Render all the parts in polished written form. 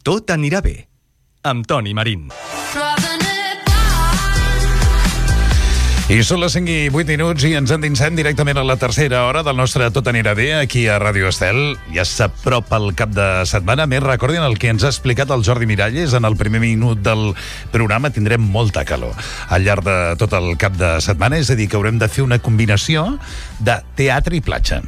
Tot anirà bé, amb Toni Marín. I són les 5 i 8 minuts i ens endinsem directament a la tercera hora del nostre Tot anirà bé aquí a Ràdio Estel. Ja s'apropa el cap de setmana. Més, recordin el que ens ha explicat el Jordi Miralles en el primer minut del programa. Tindrem molta calor al llarg de tot el cap de setmana. És a dir, que haurem de fer una combinació de teatre i platja.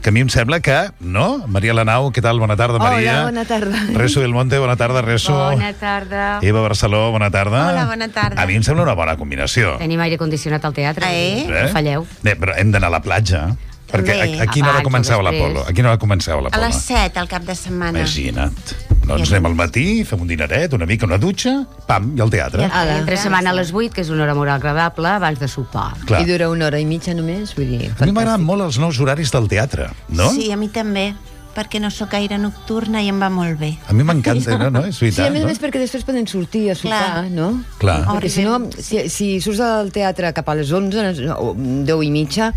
Que a mi em sembla que, no? Maria Lanau, què tal? Bona tarda, Maria. Hola, bona tarda. Reso del Monte, bona tarda, Reso. Bona tarda. Eva Barceló, bona tarda. Hola, bona tarda. A mi em sembla una bona combinació. Tenim aire condicionat al teatre. No falleu. Però hem d'anar a la platja. Perquè a quina hora comenceu l'Apolo? A quina hora comenceu l'Apolo? A les 7, al cap de setmana. Imagina't. Doncs anem al matí, fem un dineret, una mica, una dutxa, pam, i al teatre. Entre setmana a les 8, que és una hora molt agradable, abans de sopar. Clar. I dura una hora i mitja només, vull dir... A mi m'agraden molt els nous horaris del teatre, no? Sí, a mi també, perquè no sóc gaire nocturna i em va molt bé. A mi m'encanta, no? És veritat, sí, a més perquè després poden sortir a sopar, no? Clar. Perquè si no, si surts del teatre cap a les 11 o 10 i mitja,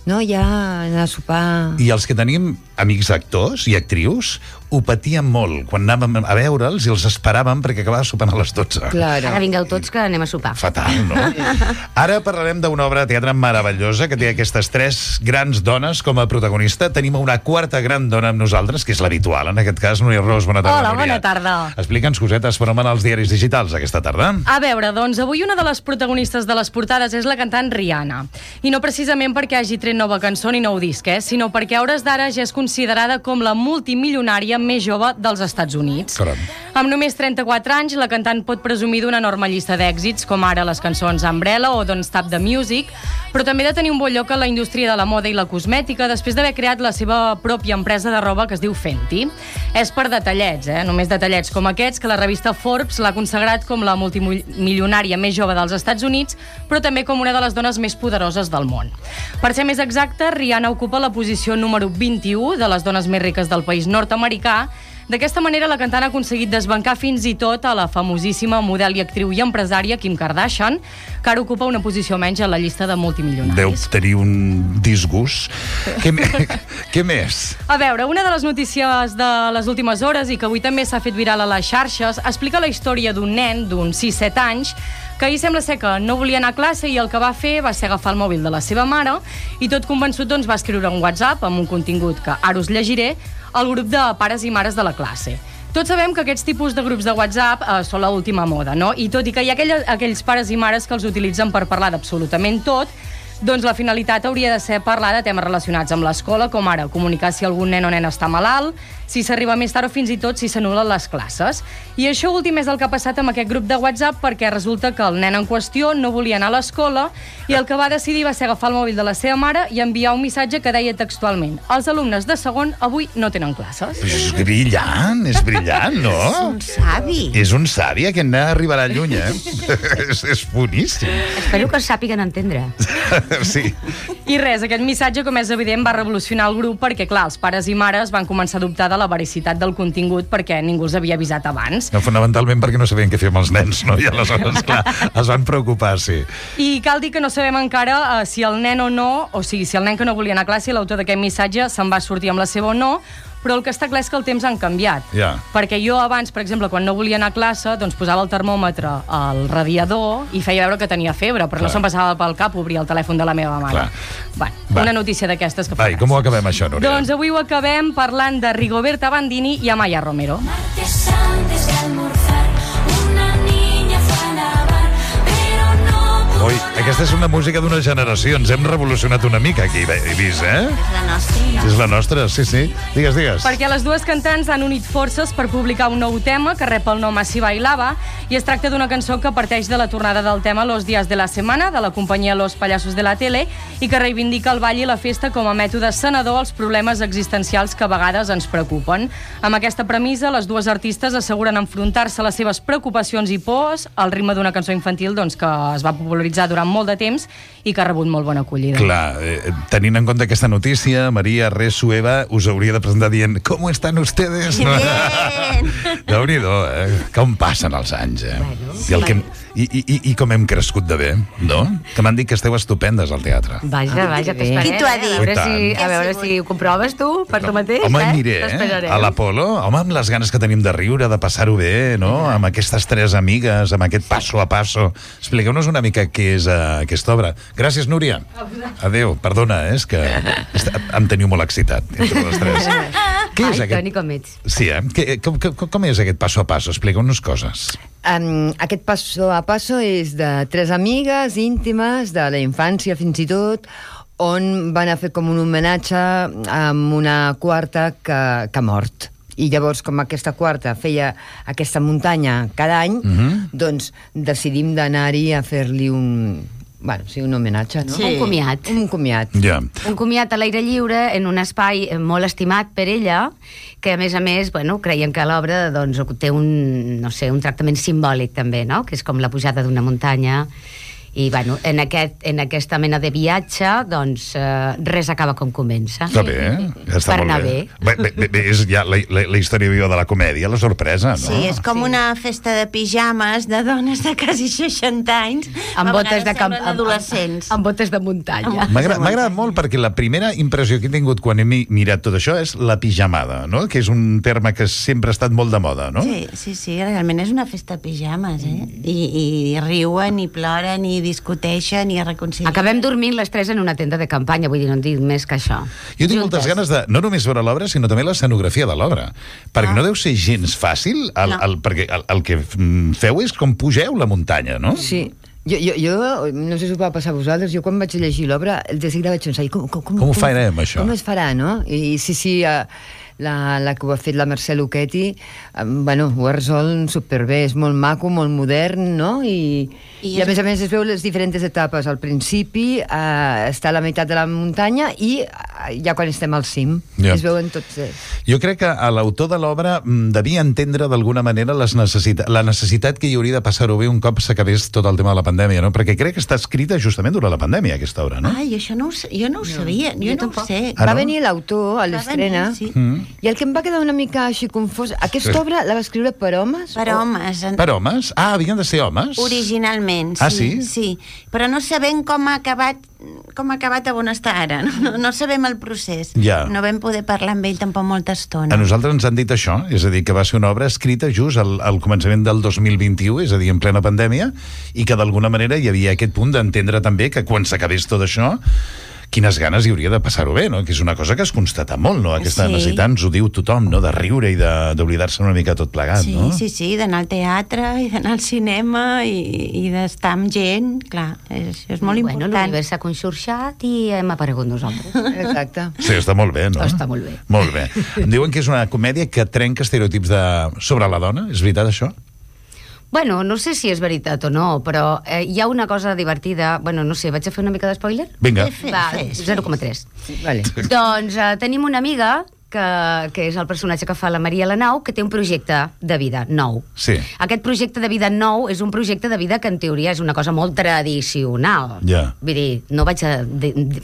no, ja anar a sopar... I els que tenim amics actors i actrius ho patíem molt quan anàvem a veure'ls i els esperàvem perquè acabava sopant a les 12. Claro. Ara vingueu tots que anem a sopar. Fatal, no? Ara parlarem d'una obra de teatre meravellosa que té aquestes 3 grans dones com a protagonista. Tenim una quarta gran dona amb nosaltres, que és l'habitual, en aquest cas, Núria Ros. Bona tarda, Hola, Núria. bona tarda. Explica'ns cosetes per als diaris digitals aquesta tarda. A veure, doncs, avui una de les protagonistes de les portades és la cantant Rihanna. I no precisament perquè hagi tret nova cançó ni nou disc, sinó perquè a hores d'ara ja és considerada com la multimilionària més jove dels Estats Units. Caram. Amb només 34 anys, la cantant pot presumir d'una enorme llista d'èxits, com ara les cançons Umbrella o Don't Stop the Music, però també de tenir un bon lloc a la indústria de la moda i la cosmètica després d'haver creat la seva pròpia empresa de roba que es diu Fenty. És per detallets, només detallets com aquests, que la revista Forbes l'ha consagrat com la multimilionària més jove dels Estats Units, però també com una de les dones més poderoses del món. Per ser més exacta, Rihanna ocupa la posició número 21 de les dones més riques del país nord-americà. D'aquesta manera, la cantant ha aconseguit desbancar fins i tot a la famosíssima model i actriu i empresària Kim Kardashian, que ara ocupa una posició menys a la llista de multimilionaris. Deu tenir un disgust. Què més? A veure, una de les notícies de les últimes hores i que avui també s'ha fet viral a les xarxes explica la història d'un nen d'uns 6-7 anys que ahir sembla ser que no volia anar a classe i el que va fer va ser agafar el mòbil de la seva mare i tot convençut doncs, va escriure un WhatsApp amb un contingut que ara us llegiré al grup de pares i mares de la classe. Tots sabem que aquests tipus de grups de WhatsApp són l'última moda, no? I tot i que hi ha aquells pares i mares que els utilitzen per parlar d'absolutament tot, doncs la finalitat hauria de ser parlar de temes relacionats amb l'escola, com ara comunicar si algun nen o nena està malalt, si s'arriba més tard o fins i tot si s'anul·len les classes. I això últim és el que ha passat amb aquest grup de WhatsApp perquè resulta que el nen en qüestió no volia anar a l'escola i el que va decidir va ser agafar el mòbil de la seva mare i enviar un missatge que deia textualment: els alumnes de segon avui no tenen classes. És brillant, no? És un savi. És un savi, aquest nen arribarà lluny, és boníssim. Espero que sàpiguen entendre. Sí. I res, aquest missatge, com és evident, va revolucionar el grup perquè, clar, els pares i mares van començar a dubtar de la veracitat del contingut perquè ningú els havia avisat abans. No, fonamentalment perquè no sabien què fer amb els nens, no? I aleshores, clar, es van preocupar, sí. I cal dir que no sabem encara si el nen o no, o sigui, si el nen que no volia anar a classe, l'autor d'aquest missatge, se'n va sortir amb la seva o no, però el que està clar és que el temps han canviat. Ja. Perquè jo abans, per exemple, quan no volia anar a classe, doncs posava el termòmetre al radiador i feia veure que tenia febre, però no se'm passava pel cap obrir el telèfon de la meva mare. Una notícia d'aquestes que faràs. Com ho acabem, això, Núria? Doncs avui ho acabem parlant de Rigoberta Bandini i Amaya Romero. Ui, aquesta és una música d'una generació. Ens hem revolucionat una mica aquí, he vist, És la nostra. És la nostra, sí. Digues. Perquè les dues cantants han unit forces per publicar un nou tema que rep el nom Así bailaba i es tracta d'una cançó que parteix de la tornada del tema Los días de la semana de la companyia Los payasos de la tele i que reivindica el ball i la festa com a mètode sanador als problemes existencials que a vegades ens preocupen. Amb aquesta premissa, les dues artistes asseguren enfrontar-se a les seves preocupacions i pors al ritme d'una cançó infantil doncs, que es va popularitzar durant molt de temps i que ha rebut molt bona acollida. Clar, tenint en compte aquesta notícia, Maria, Resu, Eva, us hauria de presentar dient ¿Cómo están ustedes? Bien! Déu-n'hi-do, com passen els anys, Bueno, I I com hem crescut de bé, no? Que m'han dit que esteu estupendes al teatre. Vaja, t'esperem. Qui t'ho ha dit? A veure si ho comproves tu, per tu mateix. Home, aniré, T'esperarem. a l'Apolo. Home, amb les ganes que tenim de riure, de passar-ho bé, no? Amb aquestes tres amigues, amb aquest passo a passo. Expliqueu-nos una mica què és aquesta obra. Gràcies, Núria. Adéu, perdona, és que em teniu molt excitat entre les tres. Què és Ai, Toni, com ets? Sí, com és aquest passo a passo? Expliqueu-nos coses. Aquest passo a passo és de tres amigues íntimes de la infància fins i tot, on van a fer com un homenatge amb una quarta que ha mort. I llavors, com aquesta quarta feia aquesta muntanya cada any, doncs decidim d'anar-hi a fer-li un homenatge, no? Sí. Un comiat. Un comiat. Ja. Un comiat a l'aire lliure en un espai molt estimat per ella, que a més, creiem que l'obra doncs, té un tractament simbòlic també, no? Que és com la pujada d'una muntanya. I en aquesta mena de viatge doncs res acaba com comença. Està bé, està Per molt anar bé. És ja la història viva de la comèdia, la sorpresa, no? Sí, és com una festa de pijames de dones de quasi 60 anys, Amb botes de camp, adolescents. amb botes de muntanya. M'ha agradat molt perquè la primera impressió que he tingut quan he mirat tot això és la pijamada, no? Que és un terme que sempre ha estat molt de moda, no? Sí, realment és una festa de pijames, I riuen, i ploren, i discuteixen, i es reconcilien. Acabem dormint les tres en una tenda de campanya, vull dir, no en dic més que això. Jo tinc moltes ganes de, no només veure l'obra, sinó també l'escenografia de l'obra. Perquè no deu ser gens fàcil, perquè el que feu és com pugeu la muntanya, no? Sí. Jo no sé si us va passar a vosaltres, jo quan vaig llegir l'obra, de seguida vaig pensar, com ho farem, això? Com es farà, no? I sí, la que ho ha fet la Mercè Luchetti, ho ha resolt superbé, és molt maco, molt modern, no? I a més es veu les diferents etapes. Al principi està a la meitat de la muntanya i ja quan estem al cim es veuen tots. Jo crec que l'autor de l'obra devia entendre d'alguna manera la necessitat que hi hauria de passar-ho bé un cop s'acabés tot el tema de la pandèmia, no? Perquè crec que està escrita justament durant la pandèmia, aquesta obra, no? Ai, això jo no ho sabia, jo no ho sé. Va venir l'autor a l'estrena, sí. I el que em va quedar una mica així confós, aquesta obra la va escriure per homes? Per homes. Per homes? Ah, havien de ser homes? Originalment, sí. Ah, sí? Sí, però no sabem com ha acabat a on està ara. No sabem el procés. Ja. No vam poder parlar amb ell tampoc molta estona. A nosaltres ens han dit això, és a dir, que va ser una obra escrita just al començament del 2021, és a dir, en plena pandèmia, i que d'alguna manera hi havia aquest punt d'entendre també que quan s'acabés tot això, quines ganes hi hauria de passar-ho bé, no? Que és una cosa que es constata molt, no? Aquesta necessitat, ens ho diu tothom, no? De riure i d'oblidar-se una mica tot plegat, no? Sí, d'anar al teatre i d'anar al cinema i d'estar amb gent, clar, és molt important. L'univers s'ha conxorxat i hem aparegut nosaltres. Exacte. Sí, està molt bé, no? Està molt bé. Molt bé. Em diuen que és una comèdia que trenca estereotips sobre la dona, és veritat això? No sé si és veritat o no, però hi ha una cosa divertida. No sé, vaig a fer una mica d'espoiler? Vinga. Va, 0,3. Vale. Doncs tenim una amiga que és el personatge que fa la Maria Lanau, que té un projecte de vida nou. Sí. Aquest projecte de vida nou és un projecte de vida que en teoria és una cosa molt tradicional. Ja. Vull dir, no vaig a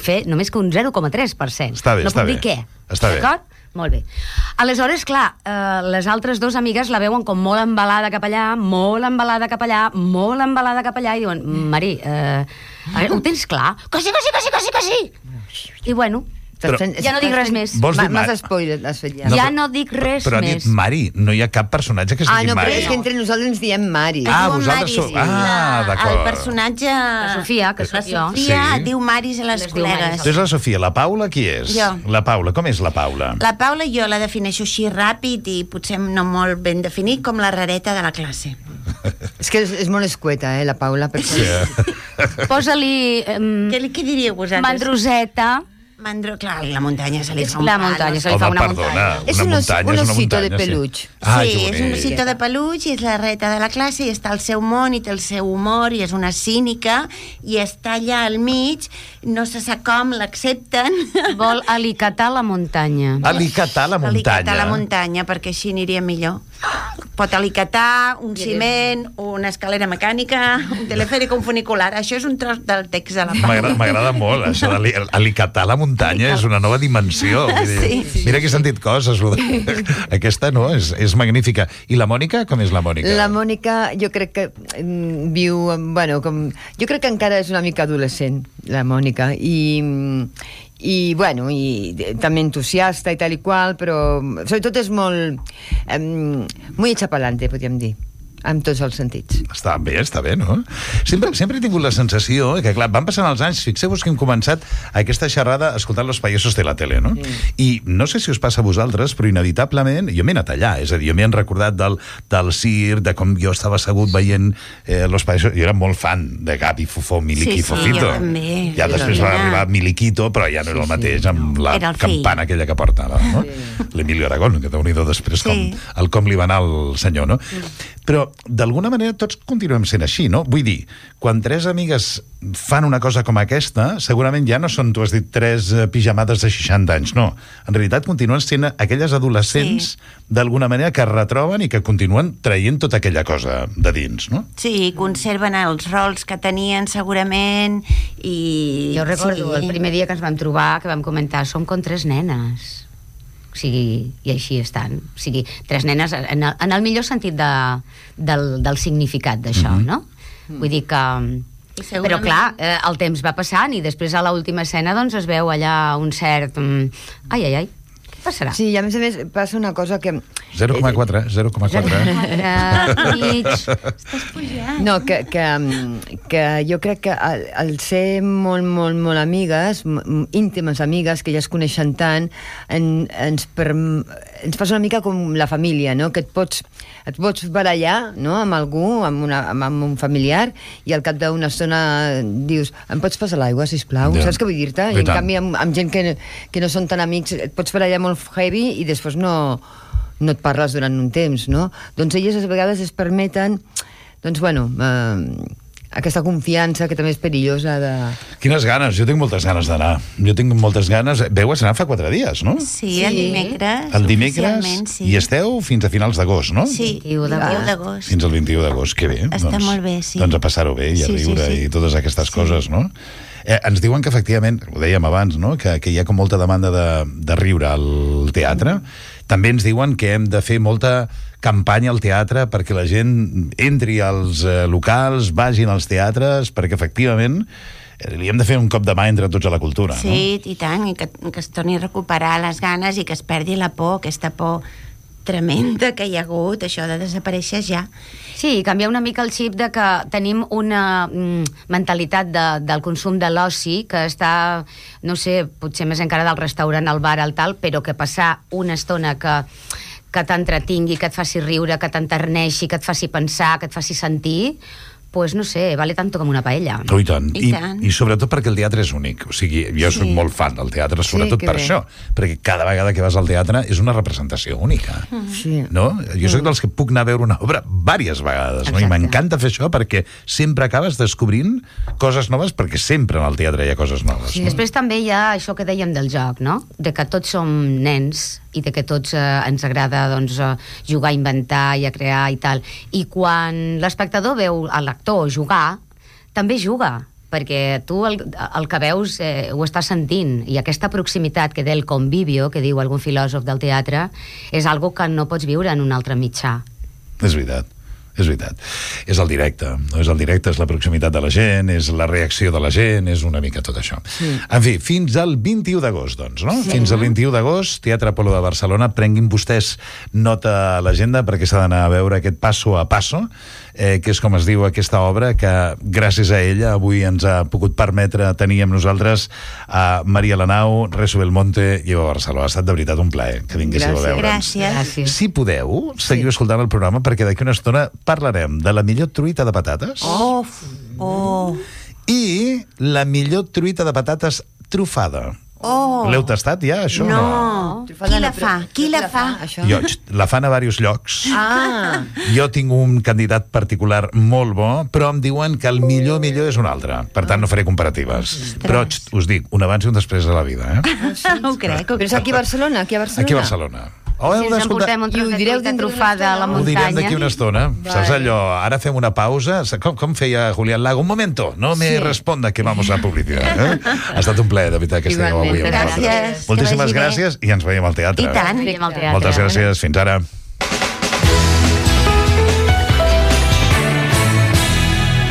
fer només que un 0,3%. Està bé, no puc dir què. Està bé. D'acord? Molt bé. Aleshores, clar, les altres dues amigues la veuen com molt embalada cap allà, molt embalada cap allà, molt embalada cap allà, i diuen, Mari, ho tens clar? Que sí! I ja no dic res més. M'has spoiler, has fet ja. Ja no dic res més. Però ha dit Mari, no hi ha cap personatge que es digui no, Mari. però és que entre nosaltres ens diem Mari. Vosaltres sou... d'acord. El personatge... La Sofia, que sóc jo. La Sofia diu Maris a les col·legues. Tu és la Sofia. La Paula qui és? Jo. La Paula. Com és la Paula? La Paula jo la defineixo així ràpid i potser no molt ben definit, com la rareta de la classe. És que és molt escueta, la Paula. Sí. Posa-li... Què diríeu vosaltres? Mandroseta. Clar, la muntanya se li fa un La muntanya, se li fa una muntanya. És un osito de peluig. Sí, és un osito de peluig i és la reta de la classe i està al seu món i té el seu humor i és una cínica i està allà al mig, no se sap com, l'accepten. Vol alicatar la muntanya. Alicatar la muntanya. Alicatar la muntanya, perquè així aniria millor. pot alicatar, un ciment, una escalera mecànica, un telefèric, un funicular. Això és un tros del text de la Palu. M'agrada molt, això d'alicatar la muntanya és una nova dimensió. Mira que he sentit coses. Aquesta, no? És magnífica. I la Mònica, com és la Mònica? La Mònica, jo crec que viu... Bueno, jo crec que encara és una mica adolescent, la Mònica, i bueno, i també entusiasta i tal i qual, però sobretot és molt muy hecha pa'lante, podríem dir, en tots els sentits. Està bé, no? Sempre he tingut la sensació que, clar, van passant els anys, fixeu-vos que hem començat aquesta xerrada escoltant Los payasos de la tele, no? I no sé si us passa a vosaltres, però inevitablement jo m'he anat allà, és a dir, jo m'he recordat del circ, de com jo estava assegut veient Los payasos, jo era molt fan de Gabi, Fofó, Miliqui, Fofito. Jo també. Ja després va arribar Miliquito, però ja no era el mateix amb la campana aquella que porta, no? L'Emilio Aragón, que déu-n'hi-do després com li va anar al senyor, no? Però d'alguna manera tots continuem sent així, no? Vull dir, quan tres amigues fan una cosa com aquesta, segurament ja no són, tu has dit, tres pijamades de 60 anys, no. En realitat continuen sent aquelles adolescents d'alguna manera que es retroben i que continuen traient tota aquella cosa de dins, no? Sí, conserven els rols que tenien segurament i... Jo recordo el primer dia que ens vam trobar, que vam comentar, som com tres nenes. O sigui, i així estan. O sigui, tres nenes en el millor sentit del significat d'això, no? Vull dir que... Però clar, el temps va passant i després a l'última escena doncs es veu allà un cert... Ai, què passarà? Sí, i a més passa una cosa que... 0,4. Estàs pujant. No, que jo crec que al ser molt amigues, íntimes amigues, que ja es coneixen tant, ens passa una mica com la família, no? Que et pots barallar, no?, amb algú, amb un familiar, i al cap d'una estona dius, em pots passar l'aigua, sisplau? Saps què vull dir-te? I en canvi amb gent que no són tan amics et pots barallar molt heavy i després no et parles durant un temps, no? Doncs elles a vegades es permeten, doncs bueno, aquesta confiança que també és perillosa de... Quines ganes, jo tinc moltes ganes d'anar. Jo tinc moltes ganes... Veu a anar fa 4 dies, no? Sí, el dimecres. El dimecres, i esteu fins a finals d'agost, no? Sí, 21 d'agost. Fins al 21 d'agost, que bé. Està molt bé, sí. Doncs a passar-ho bé i a riure i totes aquestes coses, no? Ens diuen que efectivament, ho dèiem abans, no?, que hi ha com molta demanda de riure al teatre. També ens diuen que hem de fer molta campanya al teatre perquè la gent entri als locals, vagin als teatres, perquè efectivament li hem de fer un cop de mà entre tots a la cultura, no? Sí, i tant, i que es torni a recuperar les ganes i que es perdi la por, aquesta por tremenda que hi ha hagut, això de desaparèixer ja. Sí, canviar una mica el xip de que tenim una mentalitat del consum de l'oci que està, no sé, potser més encara del restaurant, al bar, al tal, però que passar una estona que t'entretingui, que et faci riure, que t'enterneixi, que et faci pensar, que et faci sentir, pues no sé, vale tanto com una paella. Oh, i tant. I sobretot perquè el teatre és únic. O sigui, jo soc molt fan del teatre, sobretot per això. Perquè cada vegada que vas al teatre és una representació única. Sí. No? Jo soc dels que puc anar a veure una obra diverses vegades, no? I m'encanta fer això perquè sempre acabes descobrint coses noves, perquè sempre en el teatre hi ha coses noves. Sí. No? Després també hi ha això que dèiem del joc, no? De que tots som nens i de que tots ens agrada doncs, jugar, a inventar i a crear i tal. I quan l'espectador veu a l'actor jugar, també juga, perquè tu el que veus ho estàs sentint, i aquesta proximitat que té el convivio, que diu algun filòsof del teatre, és algo que no pots viure en un altre mitjà. És veritat. És veritat. És el directe, no? És el directe, és la proximitat de la gent, és la reacció de la gent, és una mica tot això. Sí. En fi, fins al 21 d'agost, doncs, no? Sí. Fins al 21 d'agost, Teatre Apolo de Barcelona. Prenguin vostès nota a l'agenda perquè s'ha d'anar a veure aquest Paso a Paso, que és com es diu aquesta obra, que gràcies a ella avui ens ha pogut permetre tenir amb nosaltres a Maria Lanau, Rezo Belmonte i Eva Barceló. Ha estat de veritat un plaer que vinguéssiu a veure'ns. Gràcies. Si podeu, seguiu escoltant el programa perquè d'aquí una estona parlarem de la millor truita de patates i la millor truita de patates trufada. L'heu tastat ja, això? No. Qui la fa? Qui la fa? Jo, la fan a diversos llocs. Jo tinc un candidat particular molt bo, però em diuen que el millor és un altre. Per tant, no faré comparatives. Però us dic, un abans i un després de la vida. Ho crec. Però és aquí a Barcelona? Aquí a Barcelona. Si ens emportem un tros de truita trufada a la Ho direm muntanya. d'aquí una estona. Saps allò? Ara fem una pausa. Com feia Julián Lago? Un momento, no me responda que vamos a publicidad. Ha estat un plaer, de veritat, que estigueu avui amb Gràcies. nosaltres. Que Moltíssimes vagi bé. gràcies i ens veiem al teatre. I tant. Veiem al teatre. Moltes gràcies. Fins ara.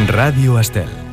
Ràdio Estel.